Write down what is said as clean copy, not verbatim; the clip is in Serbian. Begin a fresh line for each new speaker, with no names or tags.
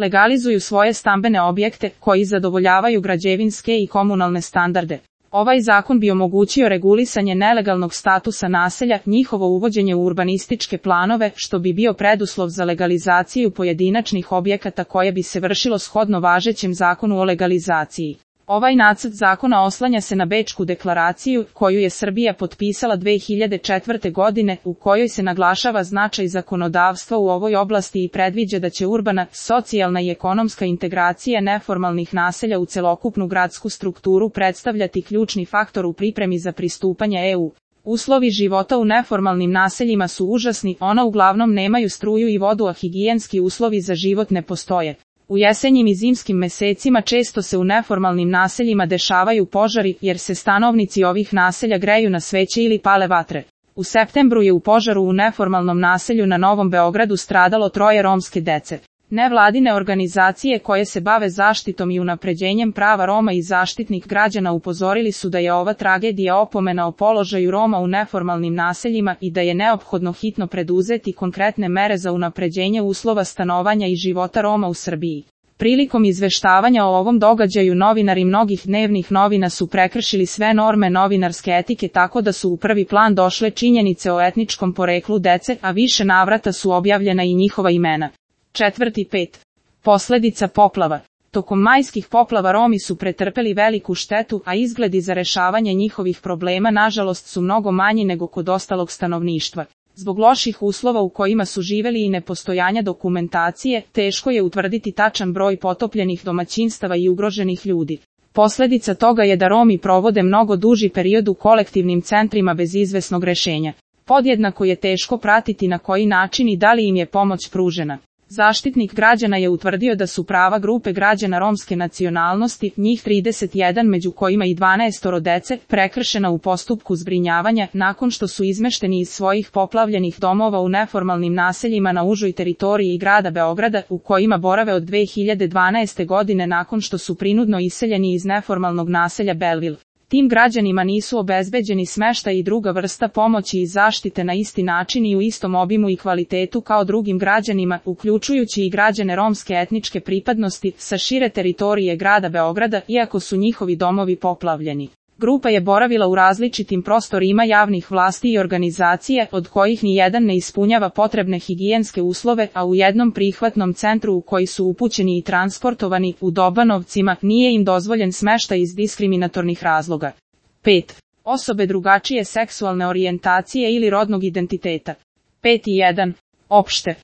legalizuju svoje stambene objekte koji zadovoljavaju građevinske i komunalne standarde. Ovaj zakon bi omogućio regulisanje nelegalnog statusa naselja, njihovo uvođenje u urbanističke planove, što bi bio preduslov za legalizaciju pojedinačnih objekata koje bi se vršilo shodno važećem zakonu o legalizaciji. Ovaj nacrt zakona oslanja se na Bečku deklaraciju, koju je Srbija potpisala 2004. godine, u kojoj se naglašava značaj zakonodavstva u ovoj oblasti i predviđa da će urbana, socijalna i ekonomska integracija neformalnih naselja u celokupnu gradsku strukturu predstavljati ključni faktor u pripremi za pristupanje EU. Uslovi života u neformalnim naseljima su užasni, ona uglavnom nemaju struju i vodu, a higijenski uslovi za život ne postoje. U jesenjim i zimskim mesecima često se u neformalnim naseljima dešavaju požari, jer se stanovnici ovih naselja greju na sveće ili pale vatre. U septembru je u požaru u neformalnom naselju na Novom Beogradu stradalo 3 romske dece. Nevladine organizacije koje se bave zaštitom i unapređenjem prava Roma i Zaštitnik građana upozorili su da je ova tragedija opomena o položaju Roma u neformalnim naseljima i da je neophodno hitno preduzeti konkretne mere za unapređenje uslova stanovanja i života Roma u Srbiji. Prilikom izveštavanja o ovom događaju novinari mnogih dnevnih novina su prekršili sve norme novinarske etike tako da su u prvi plan došle činjenice o etničkom poreklu dece, a više navrata su objavljena i njihova imena. 4.5. Posledica poplava. Tokom majskih poplava Romi su pretrpeli veliku štetu, a izgledi za rešavanje njihovih problema nažalost su mnogo manji nego kod ostalog stanovništva. Zbog loših uslova u kojima su živeli i nepostojanja dokumentacije, teško je utvrditi tačan broj potopljenih domaćinstava i ugroženih ljudi. Posljedica toga je da Romi provode mnogo duži period u kolektivnim centrima bez izvesnog rešenja. Podjednako je teško pratiti na koji način i da li im je pomoć pružena. Zaštitnik građana je utvrdio da su prava grupe građana romske nacionalnosti, njih 31 među kojima i 12 dece, prekršena u postupku zbrinjavanja, nakon što su izmešteni iz svojih poplavljenih domova u neformalnim naseljima na užoj teritoriji grada Beograda, u kojima borave od 2012. godine nakon što su prinudno iseljeni iz neformalnog naselja Belville. Tim građanima nisu obezbeđeni smeštaj i druga vrsta pomoći i zaštite na isti način i u istom obimu i kvalitetu kao drugim građanima, uključujući i građane romske etničke pripadnosti sa šire teritorije grada Beograda, iako su njihovi domovi poplavljeni. Grupa je boravila u različitim prostorima javnih vlasti i organizacije, od kojih ni jedan ne ispunjava potrebne higijenske uslove, a u jednom prihvatnom centru u koji su upućeni i transportovani, u Dobanovcima, nije im dozvoljen smeštaj iz diskriminatornih razloga. 5. Osobe drugačije seksualne orijentacije ili rodnog identiteta. 5.1. Opšte.